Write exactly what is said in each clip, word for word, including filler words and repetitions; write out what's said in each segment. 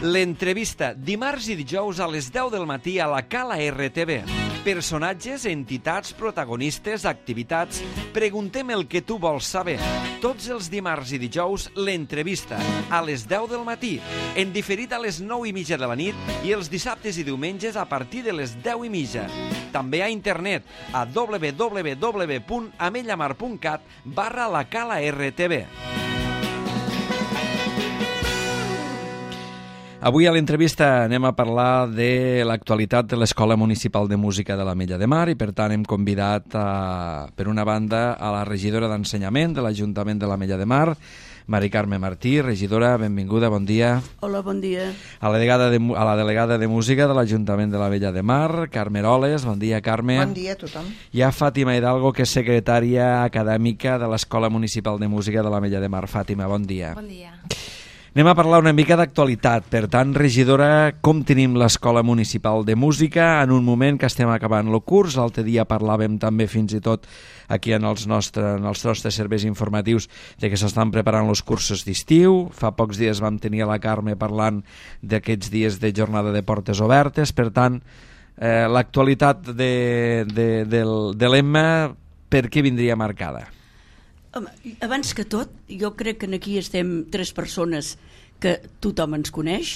L'entrevista, dimarts i dijous a les deu del matí a la Cala R T V. Personatges, entitats, protagonistes, activitats... Preguntem el que tu vols saber. Tots els dimarts i dijous, l'entrevista, a les deu del matí, en diferit a les nou i mitja de la nit i els dissabtes i diumenges a partir de les deu i mitja. També a internet, a w w w punt amellamar punt cat barra la Cala R T V. Avui a l'entrevista anem a parlar de l'actualitat de l'Escola Municipal de Música de l'Ametlla de Mar i per tant hem convidat a, per una banda a la regidora d'Ensenyament de l'Ajuntament de l'Ametlla de Mar, Mari Carme Martí. Regidora, benvinguda, bon dia. Hola, bon dia. A la delegada de, a la delegada de Música de l'Ajuntament de l'Ametlla de Mar, Carme Eroles, bon dia, Carme. Bon dia a tothom. I a Fàtima Hidalgo, que és secretària acadèmica de l'Escola Municipal de Música de l'Ametlla de Mar. Fàtima, bon dia. Bon dia. Anem a parlar una mica d'actualitat. Per tant, regidora, com tenim l'Escola Municipal de Música en un moment que estem acabant el curs? L'altre dia parlàvem també fins i tot aquí en els, nostre, en els nostres serveis informatius de que s'estan preparant els cursos d'estiu. Fa pocs dies vam tenir a la Carme parlant d'aquests dies de jornada de portes obertes. Per tant, eh, l'actualitat de, de, del, de l'Emma, per què vindria marcada? Home, abans que tot, jo crec que aquí estem tres persones que tothom ens coneix,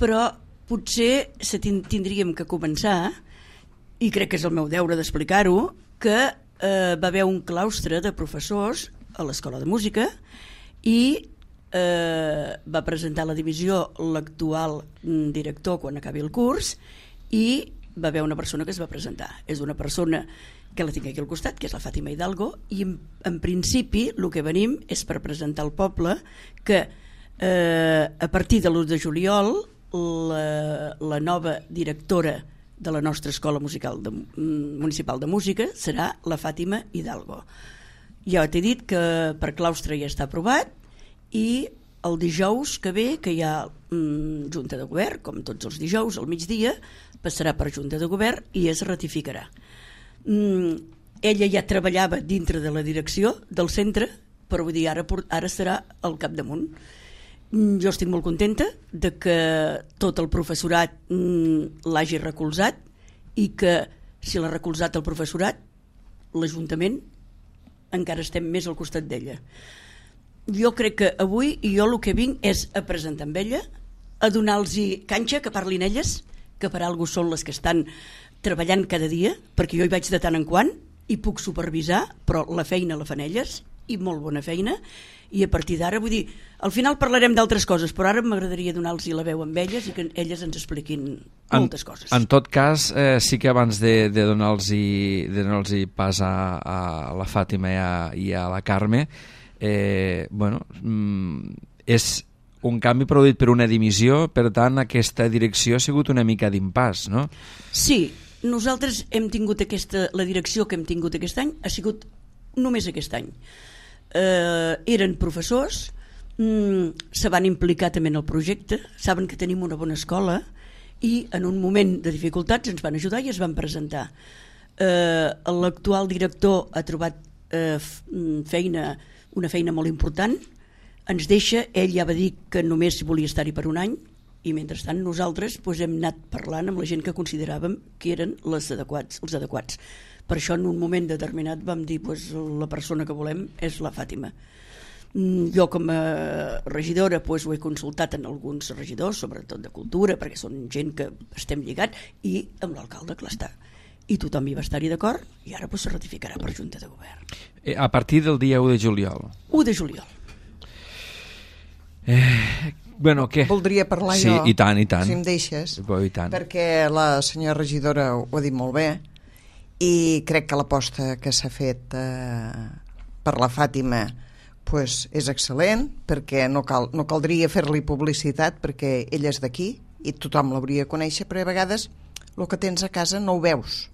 però potser se tindríem que començar, i crec que és el meu deure d'explicar-ho, que eh, va haver un claustre de professors a l'Escola de Música i eh, va presentar la divisió l'actual director quan acabi el curs i va haver una persona que es va presentar. És una persona que la tinc aquí al costat, que és la Fàtima Hidalgo, i en, en principi el que venim és per presentar al poble que eh, a partir de l'u de juliol la, la nova directora de la nostra Escola Musical de, Municipal de Música serà la Fàtima Hidalgo. Ja t'he dit que per claustre ja està aprovat i el dijous que ve, que hi ha mm, Junta de Govern, com tots els dijous, al migdia, passarà per Junta de Govern i es ratificarà. Mm, ella ja treballava dintre de la direcció del centre, però vull dir, ara, ara serà al capdamunt. Mm, jo estic molt contenta de que tot el professorat mm, l'hagi recolzat i que si l'ha recolzat el professorat, l'Ajuntament encara estem més al costat d'ella. Jo crec que avui jo el que vinc és a presentar amb ella, a donar-los canxa, que parlin elles, que per alguna cosa són les que estan treballant cada dia, perquè jo hi vaig de tant en quant i puc supervisar, però la feina la fan elles, i molt bona feina, i a partir d'ara, vull dir, al final parlarem d'altres coses, però ara m'agradaria donar-los la veu amb elles i que elles ens expliquin moltes coses. En, en tot cas, eh, sí que abans de, de donar-los donar pas a, a la Fàtima i a, i a la Carme, eh, bueno, és un canvi produït per una dimissió, per tant aquesta direcció ha sigut una mica d'impàs, no? Sí, nosaltres hem tingut aquesta, la direcció que hem tingut aquest any ha sigut només aquest any. Eh, eren professors, mm, se van implicar també en el projecte, saben que tenim una bona escola i en un moment de dificultats ens van ajudar i es van presentar. Eh, l'actual director ha trobat eh, feina, una feina molt important, ens deixa, ell ja va dir que només volia estar-hi per un any i mentrestant nosaltres doncs, hem anat parlant amb la gent que consideràvem que eren les adequats, els adequats. Per això en un moment determinat vam dir doncs, la persona que volem és la Fàtima. Jo com a regidora doncs, ho he consultat en alguns regidors, sobretot de cultura, perquè són gent que estem lligats, i amb l'alcalde, clar està. I tothom hi va estar-hi d'acord i ara doncs, se ratificarà per Junta de Govern. A partir del dia u de juliol. u de juliol. Eh, bueno, què? Voldria parlar sí, jo, i tant, i tant. si em deixes, I tant. perquè la senyora regidora ho ha dit molt bé i crec que l'aposta que s'ha fet eh, per la Fàtima pues, és excel·lent, perquè no, cal, no caldria fer-li publicitat perquè ella és d'aquí i tothom l'hauria de conèixer, però a vegades el que tens a casa no ho veus.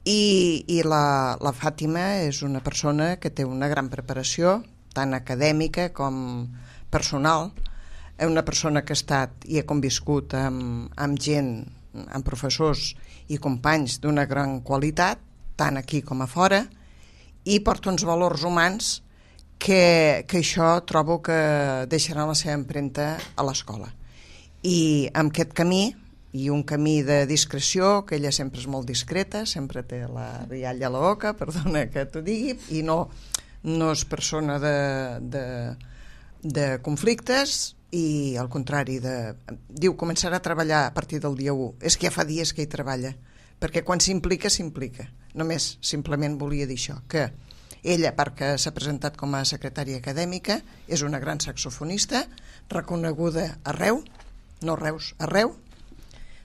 I, i la, la Fàtima és una persona que té una gran preparació, tant acadèmica com personal, una persona que ha estat i ha conviscut amb, amb gent, amb professors i companys d'una gran qualitat, tant aquí com a fora, i porta uns valors humans que, que això trobo que deixarà la seva empremta a l'escola. I amb aquest camí, i un camí de discreció, que ella sempre és molt discreta, sempre té la rialla a la boca, perdona que t'ho digui, i no, no és persona de, de, de conflictes, i al contrari, de, diu, començarà a treballar a partir del dia u. És que ja fa dies que hi treballa, perquè quan s'implica, s'implica. Només, simplement volia dir això, que ella, perquè s'ha presentat com a secretària acadèmica, és una gran saxofonista, reconeguda arreu, no Reus, arreu,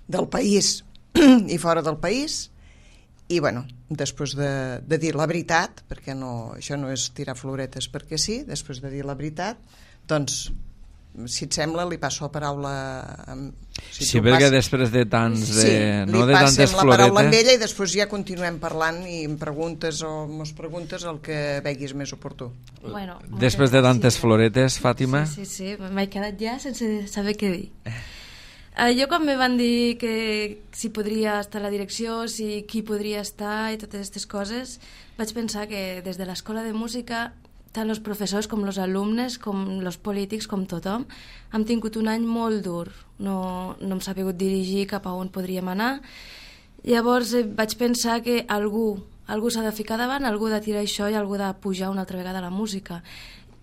del país i fora del país, i bueno, després de, de dir la veritat, perquè no, això no és tirar floretes perquè sí, després de dir la veritat, doncs, si et sembla, li passo la paraula amb, si sí, perquè pas... després de tants de, sí, no de tantes floretes, li passem la paraula amb ella i després ja continuem parlant i em preguntes o mos preguntes el que veguis més oportú. Bueno, després de tantes floretes, Fàtima? Sí, sí, sí, m'he quedat ja sense saber què dir. Uh, jo quan me van dir que si podria estar a la direcció, si qui podria estar i totes aquestes coses, vaig pensar que des de l'escola de música, tant els professors com els alumnes, com els polítics, com tothom, hem tingut un any molt dur. No, no hem sabut dirigir cap a on podríem anar. Llavors eh, vaig pensar que algú, algú s'ha de ficar davant, algú ha de tirar això i algú ha de pujar una altra vegada a la música.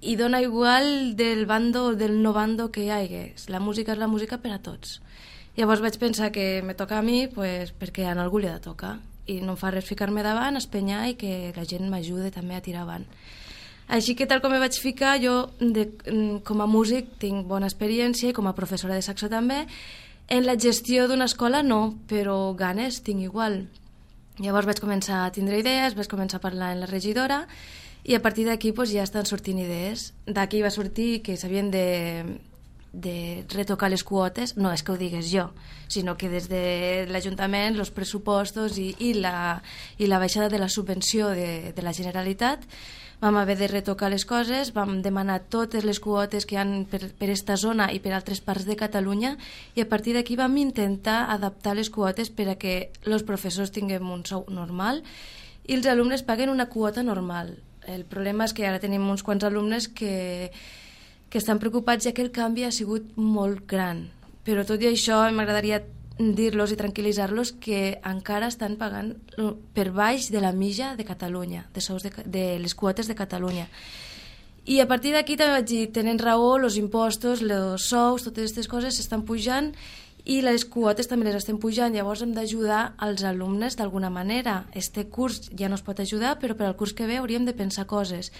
I dona igual del bando o del no bando que hi hagi. La música és la música per a tots. Llavors vaig pensar que me toca a mi pues, perquè a algú li ha de tocar. I no em fa res ficar-me davant, espenyar i que la gent m'ajude també a tirar avant. Així que tal com me vaig ficar, jo de, com a músic tinc bona experiència i com a professora de saxo també. En la gestió d'una escola no, però ganes tinc igual. Llavors vaig començar a tindre idees, vaig començar a parlar amb la regidora i a partir d'aquí pues, ja estan sortint idees. D'aquí va sortir que s'havien de, de retocar les quotes, no és que ho digues jo, sinó que des de l'Ajuntament, els pressupostos i, i, la, i la baixada de la subvenció de, de la Generalitat, vam haver de retocar les coses, vam demanar totes les quotes que hi ha per, per esta zona i per altres parts de Catalunya i a partir d'aquí vam intentar adaptar les quotes per a que els professors tinguem un sou normal i els alumnes paguen una quota normal. El problema és que ara tenim uns quants alumnes que, que estan preocupats ja que el canvi ha sigut molt gran. Però tot i això m'agradaria dir-los i tranquil·litzar-los que encara estan pagant per baix de la mitja de Catalunya, de, sous de, de les quotes de Catalunya. I a partir d'aquí també vaig dir, tenen raó, els impostos, els sous, totes aquestes coses s'estan pujant i les quotes també les estem pujant, llavors hem d'ajudar als alumnes d'alguna manera. Este curs ja no es pot ajudar, però per al curs que ve hauríem de pensar coses.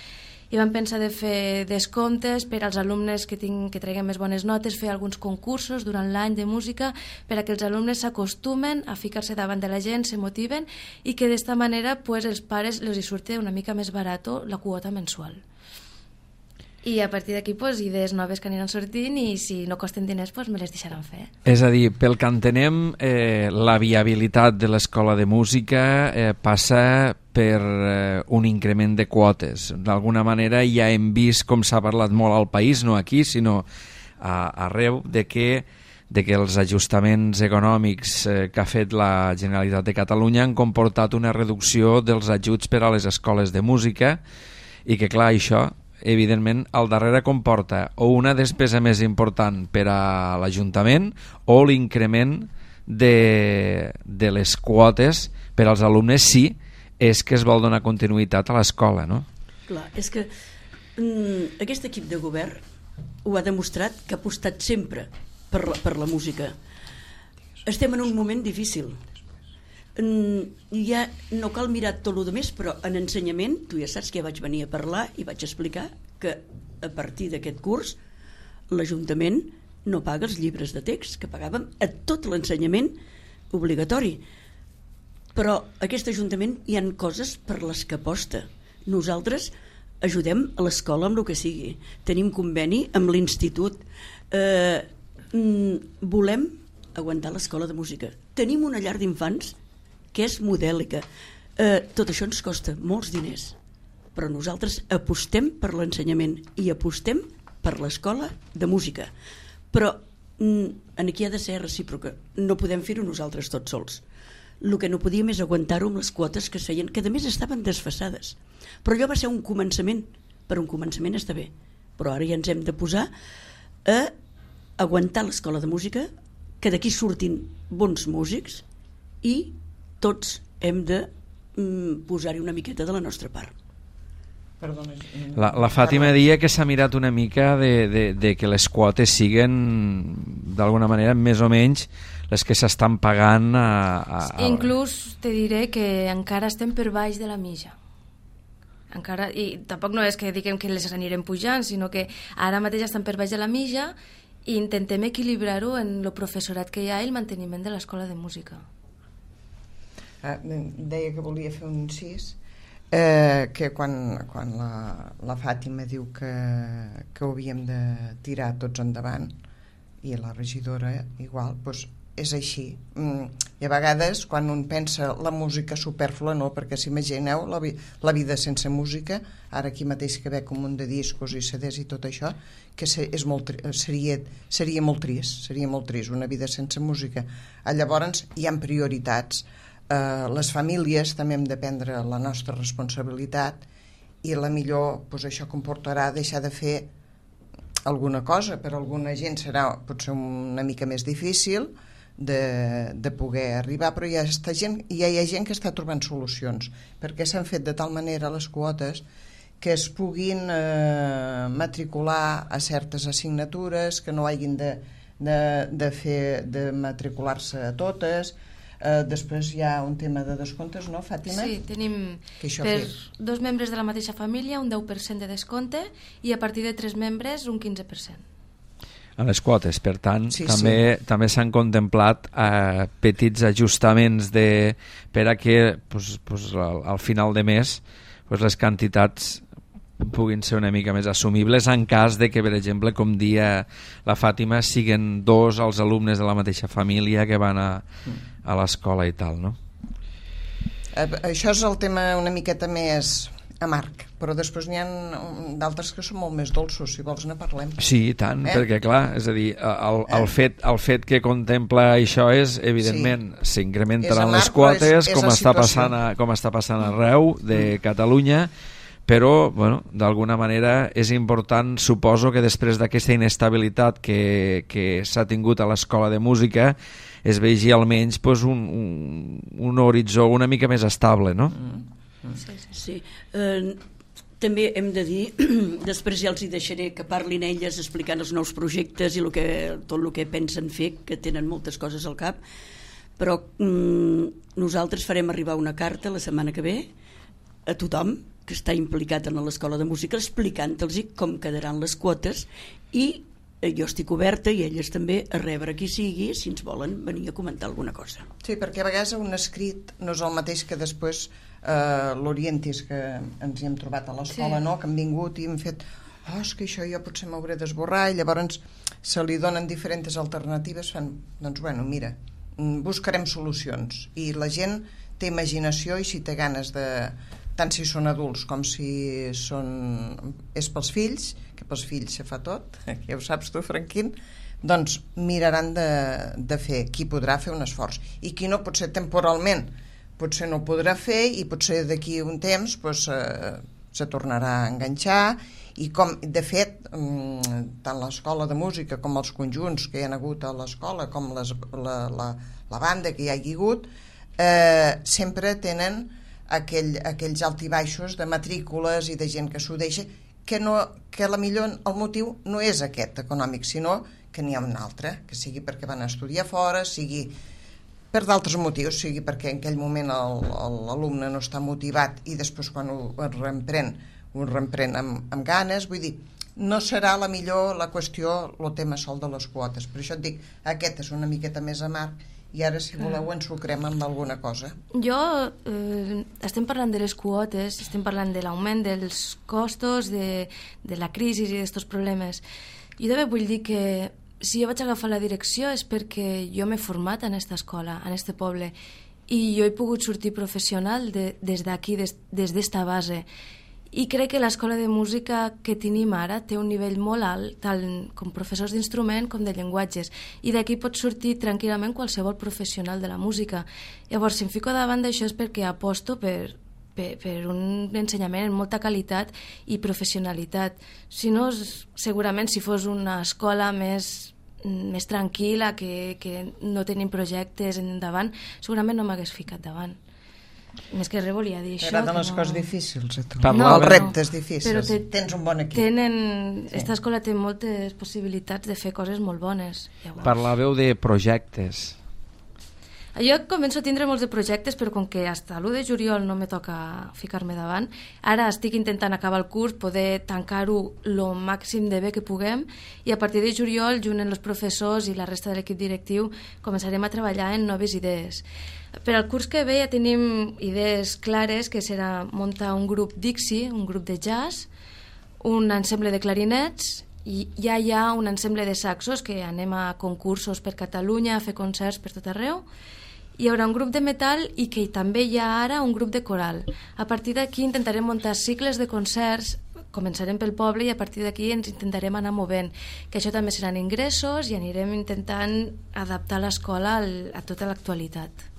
I vam pensar de fer descomptes per als alumnes que, tinc, que traguem més bones notes, fer alguns concursos durant l'any de música per a que els alumnes s'acostumen a ficar-se davant de la gent, se motiven i que d'esta manera pues, els pares els hi surti una mica més barato la quota mensual. I a partir d'aquí pues, idees noves que aniran sortint i si no costen diners pues, me les deixaran fer. És a dir, pel que entenem, eh, la viabilitat de l'escola de música eh, passa per eh, un increment de quotes. D'alguna manera ja hem vist com s'ha parlat molt al país, no aquí, sinó a, arreu, de que, de que els ajustaments econòmics eh, que ha fet la Generalitat de Catalunya han comportat una reducció dels ajuts per a les escoles de música i que, clar, això evidentment al darrere comporta o una despesa més important per a l'Ajuntament o l'increment de, de les quotes per als alumnes si és que es vol donar continuïtat a l'escola, no? Clar, és que mm, aquest equip de govern ho ha demostrat que ha apostat sempre per la, per la música. Estem en un moment difícil. Ja no cal mirar tot el més, però en ensenyament, tu ja saps que ja vaig venir a parlar i vaig explicar que a partir d'aquest curs l'Ajuntament no paga els llibres de text que pagàvem a tot l'ensenyament obligatori. Però a aquest Ajuntament hi han coses per les que aposta. Nosaltres ajudem a l'escola amb el que sigui. Tenim conveni amb l'institut. Eh, volem aguantar l'escola de música. Tenim una llar d'infants que és modèlica. Eh, tot això ens costa molts diners, però nosaltres apostem per l'ensenyament i apostem per l'escola de música. Però mm, aquí ha de ser recíproca. No podem fer-ho nosaltres tots sols. El que no podíem és aguantar-ho amb les quotes que es feien, que a més estaven desfasades. Però allò va ser un començament. Per un començament està bé. Però ara ja ens hem de posar a aguantar l'escola de música, que d'aquí surtin bons músics i tots hem de mm, posar-hi una miqueta de la nostra part. Perdona, La, la Fàtima deia que s'ha mirat una mica de, de, de que les quotes siguen d'alguna manera més o menys les que s'estan pagant a, a, a... Inclús te diré que encara estem per baix de la mitja. Encara, i tampoc no és que diguem que les anirem pujant, sinó que ara mateix estan per baix de la mitja i intentem equilibrar-ho en el professorat que hi ha i el manteniment de l'escola de música. Ah, deia que volia fer un incís, eh, que quan, quan la, la Fàtima diu que, que ho havíem de tirar tots endavant, i la regidora igual, doncs és així. Mm, I a vegades quan un pensa la música supèrflua, no, perquè s'imagineu la, vi la vida sense música, ara aquí mateix que ve com un de discos i C Ds i tot això, que se és molt seria, seria molt trist, seria molt trist una vida sense música. Ah, llavors hi ha prioritats. Uh, les famílies també hem de prendre la nostra responsabilitat i la millor, doncs això comportarà deixar de fer alguna cosa. Per alguna gent serà potser una mica més difícil de, de poder arribar, però hi ha, gent, ja hi ha gent que està trobant solucions, perquè s'han fet de tal manera les quotes que es puguin eh, matricular a certes assignatures, que no hagin de, de, de, fer, de matricular-se a totes. Uh, després hi ha un tema de descomptes, no, Fàtima? Sí, tenim per fer... dos membres de la mateixa família un deu per cent de descompte i a partir de tres membres un quinze per cent. A les quotes, per tant, sí, també sí. també s'han contemplat eh, petits ajustaments de, per a que pues, pues, al, al final de mes pues, les quantitats puguin ser una mica més assumibles en cas de que, per exemple, com dia la Fàtima, siguen dos els alumnes de la mateixa família que van a, a l'escola i tal, no? Això és el tema una miqueta més amarg, però després n'hi ha d'altres que són molt més dolços, si vols ne parlem. Sí, i tant, eh? Perquè clar, és a dir, el, el, eh? fet, el fet que contempla això és, evidentment, s'incrementaran sí. les quotes, és, és com, està passant a, com està passant arreu de mm. Catalunya, però, bueno, d'alguna manera és important, suposo que després d'aquesta inestabilitat que, que s'ha tingut a l'escola de música es vegi almenys pues, un, un, un horitzó una mica més estable, no? Mm. Sí, sí. sí. Eh, també hem de dir, després ja els hi deixaré que parlin elles explicant els nous projectes i lo que, tot el que pensen fer, que tenen moltes coses al cap, però mm, nosaltres farem arribar una carta la setmana que ve a tothom que està implicat en l'escola de música explicant-los com quedaran les quotes i jo estic oberta i elles també a rebre qui sigui si ens volen venir a comentar alguna cosa. Sí, perquè a vegades un escrit no és el mateix que després eh, l'orientis que ens hi hem trobat a l'escola, sí. No? Que han vingut i hem fet oh, és que això jo potser m'hauré d'esborrar i llavors se li donen diferents alternatives, fan, doncs bueno, mira, buscarem solucions i la gent té imaginació i si té ganes de tant si són adults com si són... és pels fills, que pels fills se fa tot, ja ho saps tu, Franquín, doncs miraran de, de fer, qui podrà fer un esforç i qui no, potser temporalment potser no ho podrà fer i potser d'aquí un temps doncs, eh, se tornarà a enganxar i com, de fet, tant l'escola de música com els conjunts que hi ha hagut a l'escola com les, la, la, la banda que hi ha hagut eh, sempre tenen aquell, aquells altibaixos de matrícules i de gent que s'ho deixa, que, no, que a la millor el motiu no és aquest econòmic, sinó que n'hi ha un altre, que sigui perquè van a estudiar fora, sigui per d'altres motius, sigui perquè en aquell moment l'alumne no està motivat i després quan ho reemprèn, ho reemprèn amb, amb ganes, vull dir, no serà la millor la qüestió, el tema sol de les quotes. Per això et dic, aquest és una miqueta més amarg i ara, si voleu, ens sucrem amb alguna cosa. Jo, eh, estem parlant de les quotes, estem parlant de l'augment dels costos, de, de la crisi i d'aquests problemes. Jo també vull dir que si jo vaig agafar la direcció és perquè jo m'he format en aquesta escola, en aquest poble, i jo he pogut sortir professional de, des d'aquí, des d'esta base. I crec que l'escola de música que tenim ara té un nivell molt alt, tant com professors d'instrument com de llenguatges, i d'aquí pot sortir tranquil·lament qualsevol professional de la música. Llavors, si em fico davant d'això és perquè aposto per, per, per un ensenyament amb molta qualitat i professionalitat. Si no, segurament si fos una escola més més tranquil·la, que, que no tenim projectes endavant, segurament no m'hagués ficat davant. Més que res volia dir això. T'agraden les no... coses difícils a tu? No, els reptes no, difícils. Te, tens un bon equip. Tenen, sí. Esta escola té moltes possibilitats de fer coses molt bones. Llavors. Parlàveu de projectes. Jo començo a tindre molts de projectes, però com que fins a l'u de juliol no me toca ficar-me davant, ara estic intentant acabar el curs, poder tancar-ho el màxim de bé que puguem, i a partir de juliol, junt amb els professors i la resta de l'equip directiu, començarem a treballar en noves idees. Per al curs que ve ja tenim idees clares, que serà muntar un grup Dixie, un grup de jazz, un ensemble de clarinets, i ja hi ha un ensemble de saxos, que anem a concursos per Catalunya, a fer concerts per tot arreu. Hi haurà un grup de metal i que també hi ha ara un grup de coral. A partir d'aquí intentarem muntar cicles de concerts, començarem pel poble i a partir d'aquí ens intentarem anar movent, que això també seran ingressos i anirem intentant adaptar l'escola a tota l'actualitat.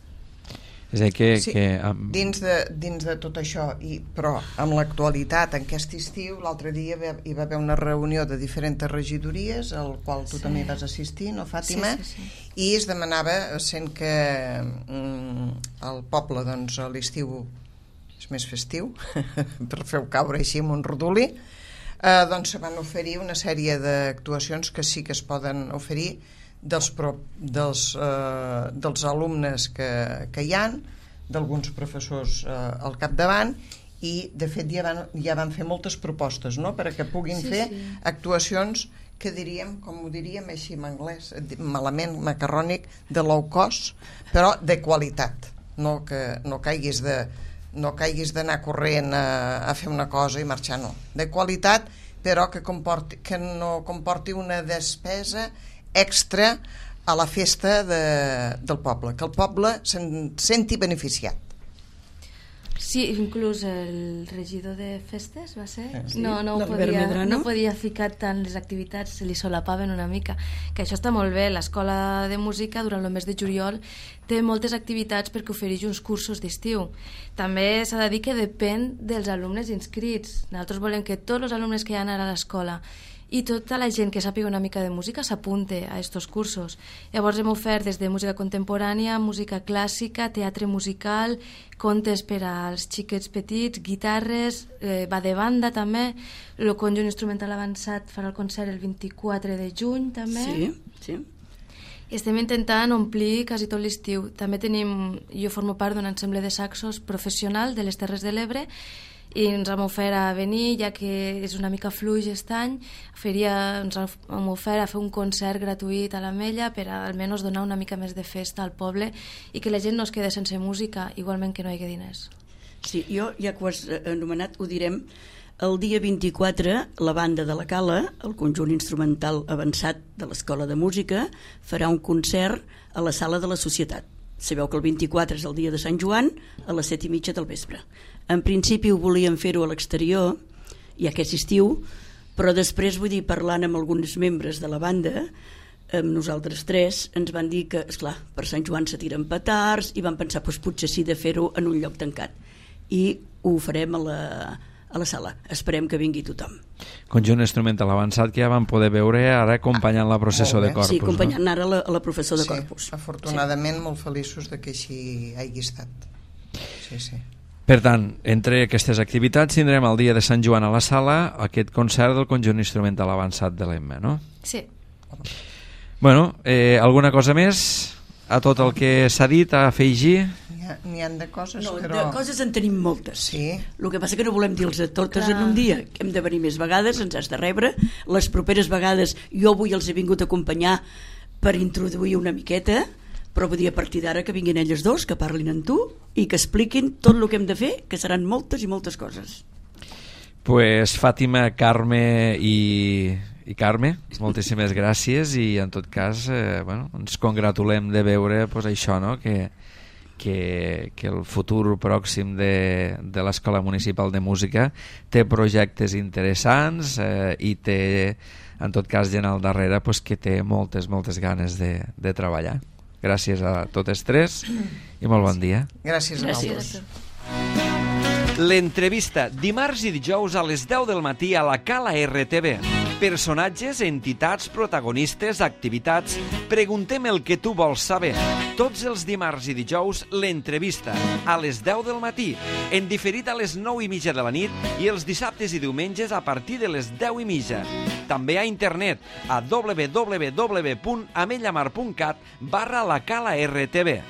És a dir, que... Sí, que um... dins, de, dins de tot això, i, però amb l'actualitat, en aquest estiu, l'altre dia hi va haver una reunió de diferents regidories, al qual tu sí. també vas assistir, no, Fàtima? Sí, sí, sí. I es demanava, sent que mm, el poble, doncs, a l'estiu és més festiu, per fer-ho caure així amb un rodolí, eh, doncs se van oferir una sèrie d'actuacions que sí que es poden oferir dels, pro, dels, eh, dels alumnes que, que hi han, d'alguns professors eh, al capdavant, i de fet ja van, ja van fer moltes propostes, no?, perquè puguin sí, fer sí. actuacions que diríem, com ho diríem així en anglès, malament macarrònic, de low cost, però de qualitat, no que no caiguis de no caiguis d'anar corrent a, a fer una cosa i marxar, no, de qualitat, però que, comporti, que no comporti una despesa extra a la festa de, del poble, que el poble se'n senti beneficiat. Sí, inclús el regidor de festes va ser? Sí, no, no, ho podia, no podia ficar tant les activitats, se li solapaven una mica, que això està molt bé. L'escola de música durant el mes de juliol té moltes activitats perquè ofereix uns cursos d'estiu. També s'ha de dir que depèn dels alumnes inscrits. Nosaltres volem que tots els alumnes que hi ha ara a l'escola i tota la gent que sàpiga una mica de música s'apunte a estos cursos. Llavors hem ofert des de música contemporània, música clàssica, teatre musical, contes per als xiquets petits, guitarres, eh, va de banda també, el conjunt instrumental avançat farà el concert el vint-i-quatre de juny també. Sí, sí. I estem intentant omplir quasi tot l'estiu. També tenim, jo formo part d'un ensemble de saxos professional de les Terres de l'Ebre, i ens hem ofert a venir, ja que és una mica fluix aquest any, feria, ens hem ofert a fer un concert gratuït a l'Ametlla per a almenys donar una mica més de festa al poble i que la gent no es quede sense música, igualment que no hi hagi diners. Sí, jo, ja que ho has anomenat, ho direm. El dia vint-i-quatre, la banda de la Cala, el conjunt instrumental avançat de l'Escola de Música, farà un concert a la Sala de la Societat. Sabeu que el vint-i-quatre és el dia de Sant Joan, a les set i mitja del vespre. En principi ho volíem fer-ho a l'exterior, ja aquest estiu, però després, vull dir, parlant amb alguns membres de la banda, amb nosaltres tres, ens van dir que, esclar, per Sant Joan se tiren petards, i van pensar, doncs potser sí de fer-ho en un lloc tancat. I ho farem a la, a la sala. Esperem que vingui tothom. Conjunt instrumental avançat que ja vam poder veure ara acompanyant la processó de Corpus. Sí, acompanyant no? ara la, la professor de sí, Corpus. Afortunadament, sí. Molt feliços de que així hagi estat. Sí, sí. Per tant, entre aquestes activitats tindrem el dia de Sant Joan a la sala aquest concert del conjunt instrumental avançat de l'E M M, no? Sí. Bueno, eh, alguna cosa més a tot el que s'ha dit, a afegir? N'hi ha de coses, no, però... de coses en tenim moltes. Sí. El que passa que no volem dir-los a totes Clar. en un dia. Hem de venir més vegades, ens has de rebre. Les properes vegades jo avui els he vingut a acompanyar per introduir una miqueta, però vull dir a partir d'ara que vinguin elles dos, que parlin amb tu i que expliquin tot el que hem de fer, que seran moltes i moltes coses. Pues Fàtima, Carme i, i Carme, moltíssimes gràcies, i en tot cas eh, bueno, ens congratulem de veure pues, això, no? que, que, que el futur pròxim de, de l'Escola Municipal de Música té projectes interessants eh, i té en tot cas gent al darrere pues, que té moltes, moltes ganes de, de treballar. Gràcies a totes tres i molt bon dia. Gràcies a Gràcies. L'entrevista dimarts i dijous a les deu del matí a la Cala R T V. Personatges, entitats, protagonistes, activitats... Preguntem el que tu vols saber. Tots els dimarts i dijous, l'entrevista, a les deu del matí, en diferit a les nou i mitja de la nit i els dissabtes i diumenges a partir de les deu i mitja. També a internet, a w w w punt ametlla mar punt cat barra la cala R T V.